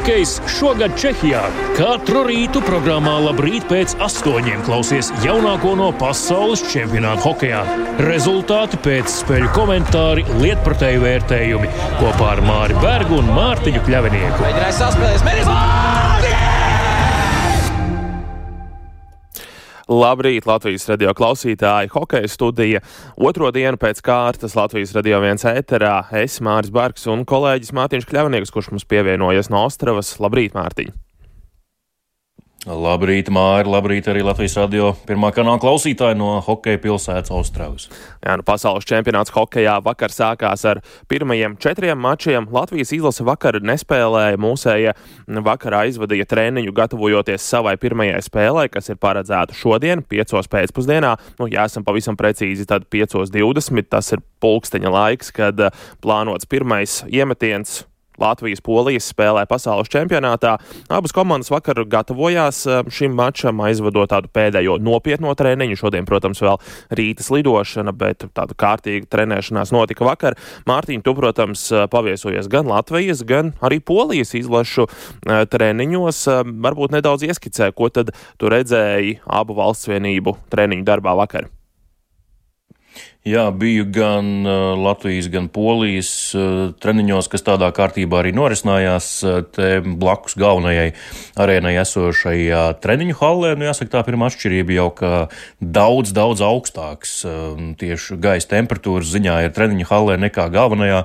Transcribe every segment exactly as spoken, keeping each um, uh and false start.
Hokejs šogad Čehijā. Katru rītu programmā Labrīt pēc astoņiem klausies jaunāko no pasaules čempionāta hokejā. Rezultāti pēc spēļu komentāri, lietpratēju vērtējumi kopā ar Māri Bergu un Mārtiņu Kļavinieku. Mēģināja saspēlēs, mēģinās! Labrīt, Latvijas radio klausītāji, hokeja studija. Otro dienu pēc kārtas Latvijas radio viens ēterā. Es, Māris Barks un kolēģis Mārtiņš Kļavinieks, kurš mums pievienojas no Ostravas. Labrīt, Mārtiņ! Labrīt, Māri, labrīt arī Latvijas radio pirmā kanāla klausītāji no hokeja pilsētas Ostravas. Jā, nu pasaules čempionāts hokejā vakar sākās ar pirmajiem četriem mačiem. Latvijas izlase vakar nespēlēja, mūsēja vakarā izvadīja treniņu gatavojoties savai pirmajai spēlei, kas ir paredzēta šodien, piecos pēcpusdienā. Nu, ja esam pavisam precīzi, tad piecos divdesmit, tas ir pulksteņa laiks, kad plānots pirmais iemetiens Latvijas-Polijas spēlē pasaules čempionātā. Abas komandas vakar gatavojās šim mačam, aizvadot tādu pēdējo nopietno treniņu. Šodien, protams, vēl rītas lidošana, bet tāda kārtīga trenēšanās notika vakar. Mārtiņ, tu, protams, paviesojies gan Latvijas, gan arī Polijas izlašu treniņos. Varbūt nedaudz ieskicē, ko tad tu redzēji abu valstsvienību treniņu darbā vakar? Jā, biju gan uh, Latvijas, gan Polijas uh, treniņos, kas tādā kārtībā arī norisinājās uh, te blakus galvenajai arēnai esošajā treniņu hallē. Nu, jāsaka, tā pirmā atšķirība jau, ka daudz, daudz augstāks uh, tieši gaisa temperatūras ziņā ir treniņu hallē nekā galvenajā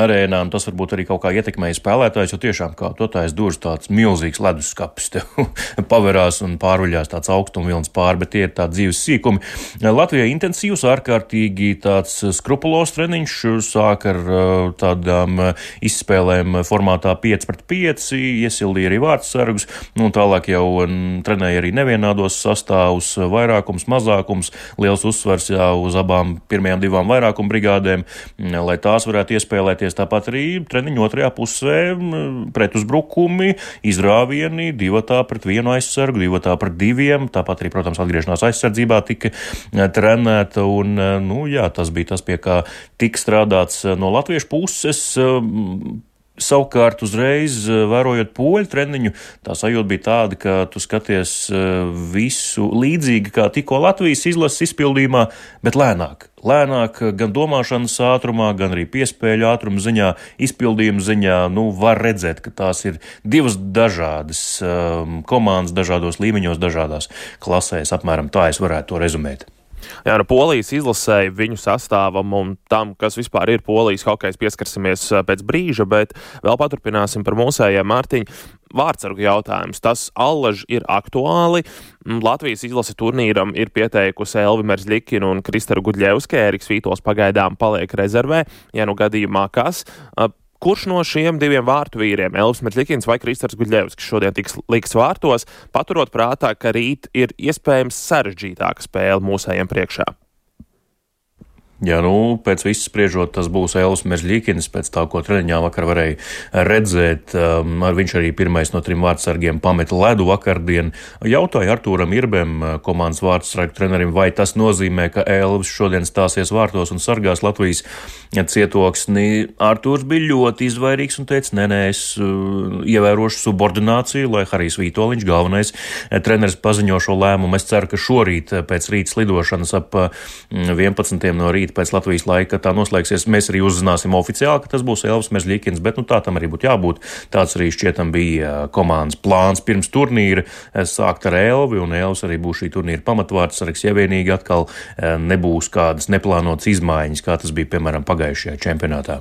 arēnā. Tas varbūt arī kaut kā ietekmēja spēlētājs, jo tiešām kā totais durvis tāds milzīgs leduskapis tev paverās un pāruļās tāds augstumvilns pāri, bet tie ir tādi dzīves sīkumi. Latvijā intensīvs, ārkārtīgi tāds skrupulos treniņš, sāk ar tādām izspēlēm formātā pieci pret pieci, iesildīja arī vārdsargus, nu tālāk jau trenēja arī nevienādos sastāvus, vairākums, mazākums, liels uzsvars jau uz abām pirmajām divām vairākuma brigādēm, lai tās varētu iespēlēties. Tāpat arī treniņu otrajā pusē pretuzbrukumi, izrāvieni, divatā pret vienu aizsargu, divatā pret diviem, tāpat arī, protams, atgriešanās aizsardzībā tika trenēta un, nu, jā, tas bija tas, pie kā tika strādāts no latviešu puses. Savukārt uzreiz, vērojot poļu treniņu, tā sajūta bija tāda, ka tu skaties visu līdzīgi kā tikko Latvijas izlases izpildījumā, bet lēnāk. Lēnāk gan domāšanas ātrumā, gan arī piespēļu ātruma ziņā, izpildījuma ziņā, nu, var redzēt, ka tās ir divas dažādas um, komandas, dažādos līmeņos, dažādās klasēs. Apmēram tā es varētu to rezumēt. Jā, no Polijas izlasēji viņu sastāvam un tam, kas vispār ir Polijas hokejs, pieskarsimies pēc brīža, bet vēl paturpināsim par mūsējiem. Mārtiņ, vārdsargu jautājums. Tas allaž ir aktuāli. Latvijas izlase turnīram ir pieteikusi Elvi Merzļikinu un Kristaru Gudļevski. Ēriks Vītols pagaidām paliek rezervē, ja nu gadījumā kas. Kurš no šiem diviem vārtu vīriem, Elvis Merzļikins vai Kristars Gudļevskis, šodien tiks liks vārtos, paturot prātā, ka rīt ir iespējams sarežģītāka spēle mūsējiem priekšā? Jā, nu, pēc viss spriežot, tas būs Elvis Merzļikins, pēc tā, ko treniņā vakar varēja redzēt. Um, viņš arī pirmais no trim vārdsargiem pameta ledu vakardien. Jautāja Artūram Irbem, komandas vārdsargu trenerim, vai tas nozīmē, ka Elvis šodien stāsies vārtos un sargās Latvijas cietoksni. Artūrs bija ļoti izvairīgs un teica, nē, nē, es uh, ievērošu subordināciju, lai Harijs Vītoliņš, galvenais treneris, paziņo šo lēmumu. Es ceru, ka šorīt pēc rītas lidošanas ap vienpadsmitiem no rīta pēc Latvijas laika tā noslēgsies. Mēs arī uzzināsim oficiāli, ka tas būs Elvis Merzļikins, bet nu tā tam arī būtu jābūt. Tāds arī šķietam bija komandas plāns pirms turnīra sākt ar Elvi, un Elvis arī būs šī turnīra pamatvārdsargs, ja vienīgi atkal nebūs kādas neplānotas izmaiņas, kā tas bija, piemēram, pagājušajā čempionātā.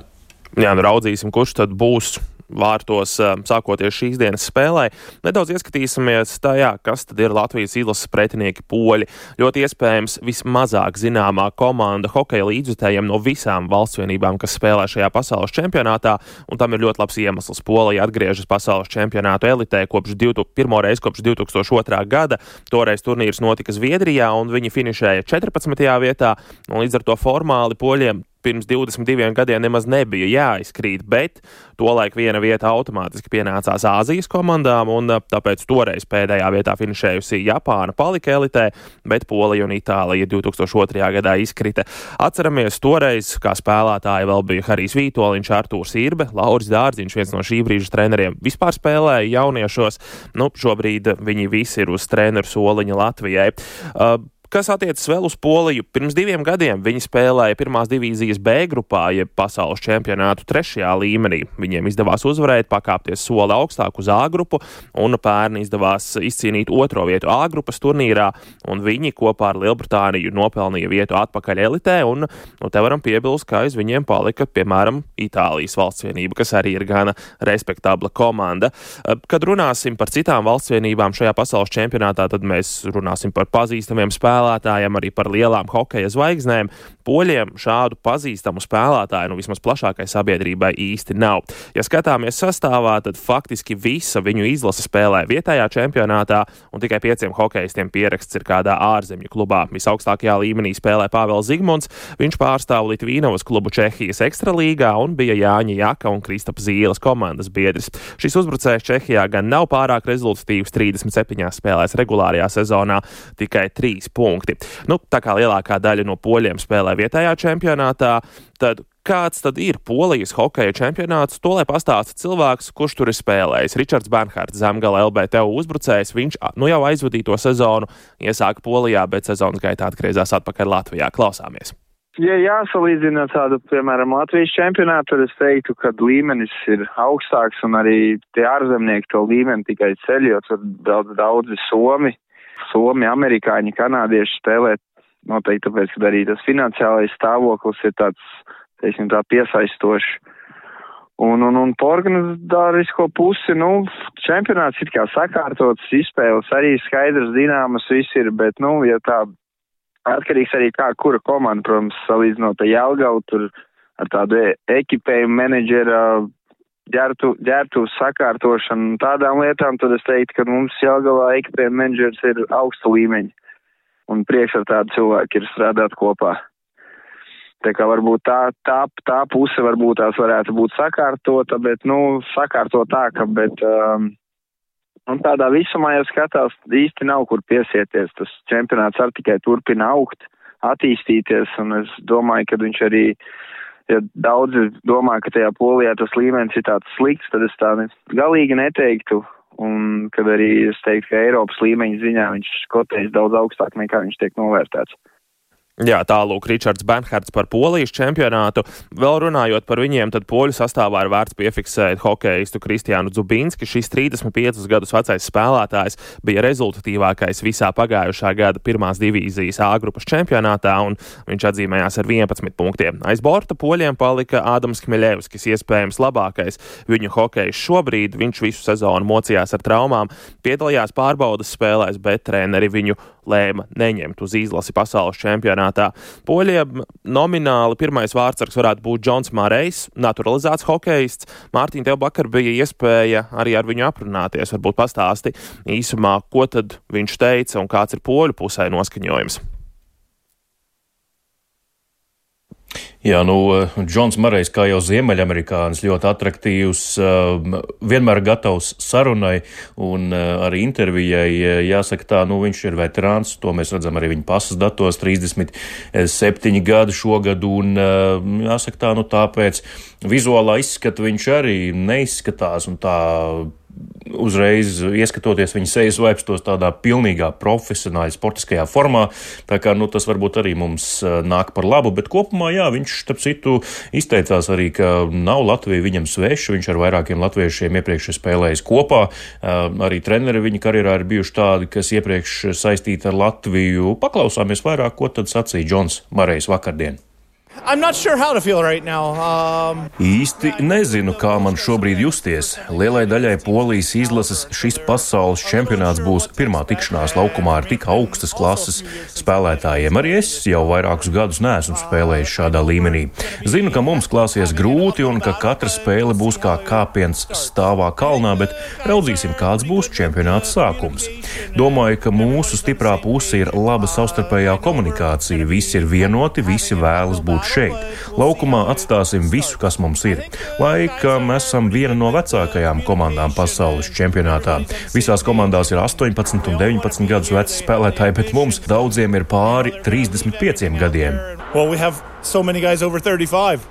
Jā, nu raudzīsim, kurš tad būs vārtos sākoties šīs dienas spēlē. Nedaudz ieskatīsimies tajā, kas tad ir Latvijas izlases pretinieki poļi. Ļoti iespējams vismazāk zināmā komanda hokeja līdzjutējiem no visām valstsvienībām, kas spēlē šajā pasaules čempionātā, un tam ir ļoti labs iemesls. Polija atgriežas pasaules čempionātu elitē kopš pirmo reizi kopš divi tūkstoši otrā gada. Toreiz turnīrs notika Zviedrijā, un viņi finišēja četrpadsmitajā vietā, un līdz ar to formāli poļiem pirms divdesmit diviem gadiem nemaz nebija jāizkrīt, bet tolaik viena vieta automātiski pienācās Āzijas komandām, un tāpēc toreiz pēdējā vietā finišējusi Japāna palika elitē, bet Polija un Itālija divi tūkstoši otrajā gadā izkrita. Atceramies, toreiz, kā spēlētāji vēl bija Harijs Vītoliņš, Artūrs Irbe, Lauris Dārziņš, viens no šī brīža treneriem, vispār spēlēja jauniešos. Nu, šobrīd viņi visi ir uz treneru soliņa Latvijai. Uh, Kas attiecas vēl uz Poliju, pirms diviem gadiem viņi spēlēja pirmās divīzijas B grupā, jeb pasaules čempionātu trešajā līmenī. Viņiem izdevās uzvarēt, pakāpties soli augstāk uz A grupu, un pērn izdevās izcīnīt otro vietu A grupas turnīrā, un viņi kopā ar Lielbritāniju nopelnīja vietu atpakaļ elitē, un nu, te varam piebilst, ka aiz viņiem palika, piemēram, Itālijas valstsvienība, kas arī ir gana respektabla komanda. Kad runāsim par citām valstsvienībām šajā pasaules čempionātā, tad mēs runāsim par pazīstamiem spēlētājiem, spēlētājiem, arī par lielām hokeja zvaigznēm. Poļiem šādu pazīstamu spēlētāju, nu vismaz plašākai sabiedrībai īsti nav. Ja skatāmies sastāvā, tad faktiski visa viņu izlase spēlē vietējā čempionātā, un tikai pieciem hokejistiem pieraksts ir kādā ārzemju klubā. Visaugstākajā līmenī spēlē Pāvels Zigmunds, viņš pārstāv Litvīnovas klubu Čehijas ekstralīgā un bija Jāņa Jaka un Kristapa Zīles komandas biedris. Šis uzbrucējs Čehijā gan nav pārāk rezultatīvs, trīsdesmit septiņās spēlēs regulārajā sezonā, tikai trīs punkti. Nu, tā kā lielākā daļa no poļiem spēlē vietējā čempionātā, tad kāds tad ir Polijas hokeja čempionāts? To lai pastāsta cilvēks, kurš tur ir spēlējis. Ričards Bernhards, Zemgala L B T U uzbrucējs, viņš nu jau aizvadīto sezonu iesāka Polijā, bet sezonas gaitā atgriezās atpakaļ Latvijā. Klausāmies. Ja jāsalīdzina tādu, piemēram, Latvijas čempionātu, tad es teiktu, ka līmenis ir augstāks un arī tie ārzemnieki to līmeni tikai ceļ, jo tur daudz, daudzi Somi. Somi, amerikāņi, kanādieši spēlē noteikti tāpēc, ka arī tas finansiālais stāvoklis ir tāds, teiksim, tā piesaistošs. Un, un, un po organizatorisko pusi, nu, čempionāts ir kā sakārtots, izspēles arī skaidrs, zināmas viss ir, bet, nu, ja tā atkarīgs arī kā, kura komanda, protams, salīdzinot ar Jelgavu, tur ar tādu ekipējumu menedžera, ģērtu, ģērtu sakārtošanu un tādām lietām, tad es teiktu, ka mums Jelgavā ekipējuma menedžers ir augsta līmeņa un prieks ar tādu cilvēku ir strādāt kopā. Tā kā varbūt tā, tā, tā puse varbūt tās varētu būt sakārtota, bet, nu, sakārtot tā, ka, bet, um, un tādā visumā jau skatās, īsti nav kur piesieties. Tas čempionāts arī tikai turpina augt, attīstīties, un es domāju, ka viņš arī, ja daudzi domā, ka tajā Polijā tas līmenis ir tāds slikts, tad es tā galīgi neteiktu, un kad arī es teiktu, ka Eiropas līmeņa ziņā viņš kotējas daudz augstāk nekā viņš tiek novērtēts. Jā, tālūk Ričards Bernhards par Polijas čempionātu. Vēl runājot par viņiem, tad poļu sastāvā ir vērts piefiksēt hokejistu Kristiānu Dzubinski. Šis trīsdesmit piecus gadus vecais spēlētājs bija rezultatīvākais visā pagājušā gada pirmās divīzijas A grupas čempionātā, un viņš atzīmējās ar vienpadsmit punktiem. Aiz borta poļiem palika Ādams Kmeļevskis, iespējams labākais viņu hokejs šobrīd. Viņš visu sezonu mocījās ar traumām, piedalījās pārbaudas spēlēs, bet treneri viņu lēma neņemt uz izlasi pasaules čempionātā. Poļiem nomināli pirmais vārdsargs varētu būt Džons Marejs, naturalizēts hokejists. Mārtiņ, tev vakar bija iespēja arī ar viņu aprunāties. Varbūt pastāsti īsumā, ko tad viņš teica un kāds ir poļu pusē noskaņojums. Jā, nu, Džons Marejs, kā jau ziemeļamerikānis, ļoti atraktīvs, vienmēr gatavs sarunai un arī intervijai. Jāsaka tā, nu, viņš ir veterāns, to mēs redzam arī viņa pasas datos, trīsdesmit septiņi gadi šogad, un jāsaka tā, nu, tāpēc vizuālā izskata viņš arī neizskatās un tā uzreiz ieskatoties viņa sejas vaipstos tādā pilnīgā profesionāļa sportiskajā formā, tā kā, nu, tas varbūt arī mums nāk par labu, bet kopumā, jā, viņš, starp citu, izteicās arī, ka nav Latvija viņam sveša, viņš ar vairākiem latviešiem iepriekš spēlējis kopā, arī treneri viņa karjerā ir bijuši tādi, kas iepriekš saistīti ar Latviju. Paklausāmies vairāk, ko tad sacīja Džons Marejs vakardien. I'm not sure how to feel right now. Um... Īsti nezinu, kā man šobrīd justies. Lielai daļai Polijas izlases šis pasaules čempionāts būs pirmā tikšanās laukumā ar tik augstas klases spēlētājiem. Arī es jau vairākus gadus neesmu spēlējis šādā līmenī. Zinu, ka mums klāsies grūti un ka katra spēle būs kā kāpiens stāvā kalnā, bet raudzīsim, kāds būs čempionāts sākums. Domāju, ka mūsu stiprā puse ir laba savstarpējā komunikācija. Visi ir vienoti, visi vēlas būt būt šeit. Laukumā atstāsim visu, kas mums ir. Laikam esam viena no vecākajām komandām pasaules čempionātā. Visās komandās ir astoņpadsmit un deviņpadsmit gadus veci spēlētāji, bet mums daudziem ir pāri trīsdesmit pieciem gadiem. Well, we have so many guys over thirty-five.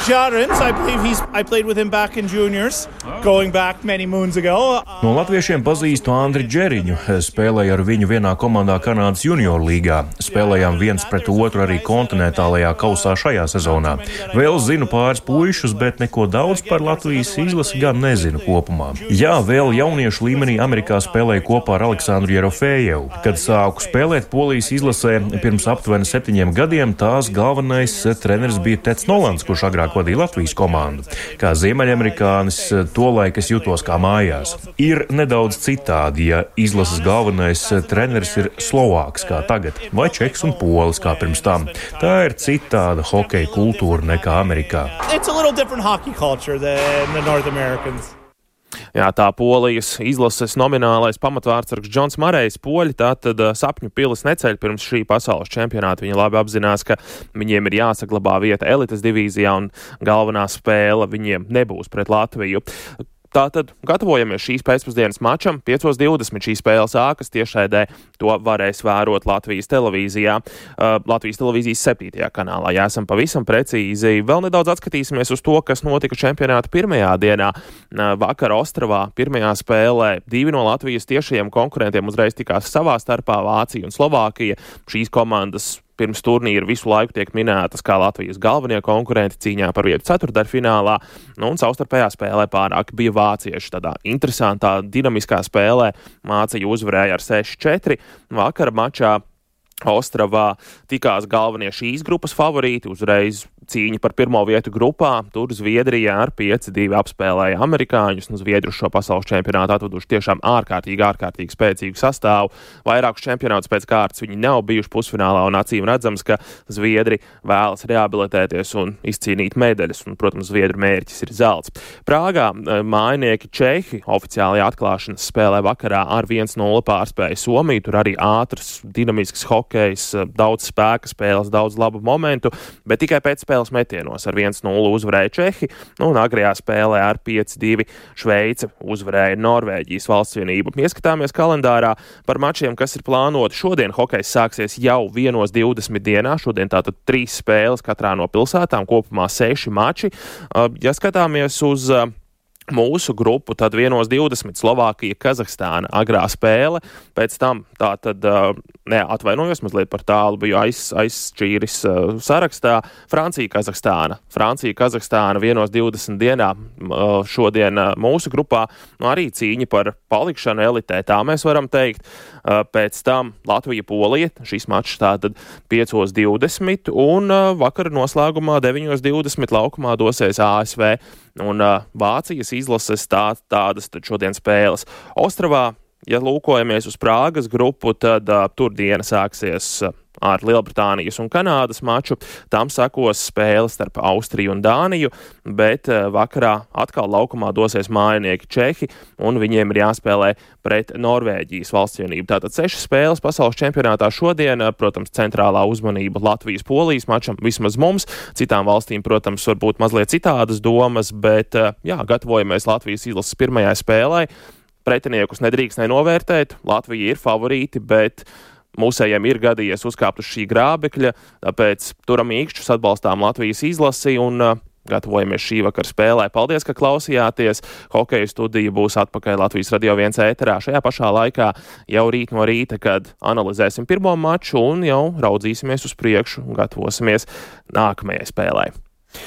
Jarins, I believe he's. I played with him back in juniors, going back many moons ago. No latviešiem pazīstu Andri Džeriņu. Spēlēju ar viņu vienā komandā Kanādas junior līgā. Spēlējām viens pret otru arī kontinentālajā kausā šajā sezonā. Vēl zinu pāris puišus, bet neko daudz par Latvijas izlasi gan nezinu kopumā. Jā, vēl jauniešu līmenī Amerikā spēlēju kopā ar Aleksandru Jerofejevu. Kad sāku spēlēt Polijas izlasē pirms aptuveni septiņiem gadiem, tās galvenais treneris bija Teds Nolans, kurš agrāk vadīja Latvijas komandu. Kā ziemeļamerikānis, tolaik es jutos kā mājās. Ir nedaudz citādi, ja izlases galvenais treneris ir Slovāks kā tagad, vai Čeks un Polis kā pirms tam. Tā ir citāda hokeja kultūra nekā Amerikā. It's a little different hockey culture than the North Americans. Jā, tā Polijas izlases nominālais pamatvārdsargs Džons Marejs. Poļi tātad sapņu pilis neceļ pirms šī pasaules čempionāta. Viņi labi apzinās, ka viņiem ir jāsaglabā vieta elites divīzijā un galvenā spēle viņiem nebūs pret Latviju. Tātad gatavojamies šīs pēcpusdienas mačam. piecos divdesmit šī spēle sākas, tiešraidē to varēs vērot Latvijas televīzijā, uh, Latvijas televīzijas septītajā kanālā. Ja esam pavisam precīzi, vēl nedaudz atskatīsimies uz to, kas notika čempionāta pirmajā dienā. Uh, vakar Ostravā pirmajā spēlē divi no Latvijas tiešajiem konkurentiem uzreiz tikās savā starpā, Vācija un Slovākija. Šīs komandas pirms turnīra visu laiku tiek minētas kā Latvijas galvenie konkurenti cīņā par vietu ceturtdaļfinālā, nu un savstarpējā spēlē pārāk bija vācieši. Tādā interesantā, dinamiskā spēlē Vācija uzvarēja ar seši četri. Vakara mačā Ostravā tikās galvenie šīs grupas favorīti, uzreiz cīņa par pirmo vietu grupā. Tur Zviedrija ar pieci divi apspēlēja amerikāņus, un Zviedri šo pasaules čempionātu atveduši tiešām ārkārtīgi, ārkārtīgi spēcīgu sastāvu. Vairākus čempionātus pēc kārtas viņi nav bijuši pusfinālā, un acīm redzams, ka Zviedri vēlas rehabilitēties un izcīnīt medaļas, un, protams, Zviedru mērķis ir zelts. Prāgā mājinieki Čehi oficiālajā atklāšanas spēlē vakarā ar viens nulle pārspēja Somiju. Tur arī ātrs, dinamisks hokejs, daudz spēka spēles, daudz labu momentu, bet tikai pēc spēles metienos ar viens nulle uzvarēja Čehi, nu, un agrajā spēlē ar pieci divi Šveice uzvarēja Norvēģijas valstsvienību. Ieskatāmies kalendārā par mačiem, kas ir plānoti. Šodien hokejs sāksies jau vienos divdesmit dienā. Šodien tātad trīs spēles katrā no pilsētām, kopumā seši mači. Ja skatāmies uz mūsu grupu, tad vienos divdesmit Slovākija, Kazahstāna agrā spēle, pēc tam tā tad, ne, atvainojos, mazliet par tālu biju aiz, aizšķīris uh, sarakstā, Francija, Kazahstāna. Francija, Kazahstāna vienos divdesmit dienā uh, šodien uh, mūsu grupā, nu, arī cīņa par palikšanu elitē, tā mēs varam teikt. Uh, pēc tam Latvija, Polija, šis mačs tātad piecos divdesmit, un uh, vakar noslēgumā deviņos divdesmit laukumā dosies A S V un uh, Vācijas izlases tā, tādas tad šodien spēles. Ostravā, ja lūkojamies uz Prāgas grupu, tad uh, tur diena sāksies uh, ar Lielbritānijas un Kanādas maču. Tam sekos spēles starp Austriju un Dāniju, bet uh, vakarā atkal laukumā dosies mājinieki Čehi, un viņiem ir jāspēlē pret Norvēģijas valstsvienību. Tātad sešas spēles pasaules čempionātā šodien, uh, protams, centrālā uzmanība Latvijas-Polijas mačam, vismaz mums. Citām valstīm, protams, varbūt mazliet citādas domas, bet, uh, jā, gatavojamies Latvijas izlases pirmajai spēlei. Pretiniekus nedrīkst nenovērtēt, Latvija ir favorīti, bet mūsējiem ir gadījies uzkāpt uz šī grābekļa, tāpēc turam īkšķus, atbalstām Latvijas izlasi un uh, gatavojamies šī vakar spēlē. Paldies, ka klausījāties. Hokeja studija būs atpakaļ Latvijas Radio viens ēterā šajā pašā laikā jau rīt no rīta, kad analizēsim pirmo maču un jau raudzīsimies uz priekšu un gatavosimies nākamajai spēlē.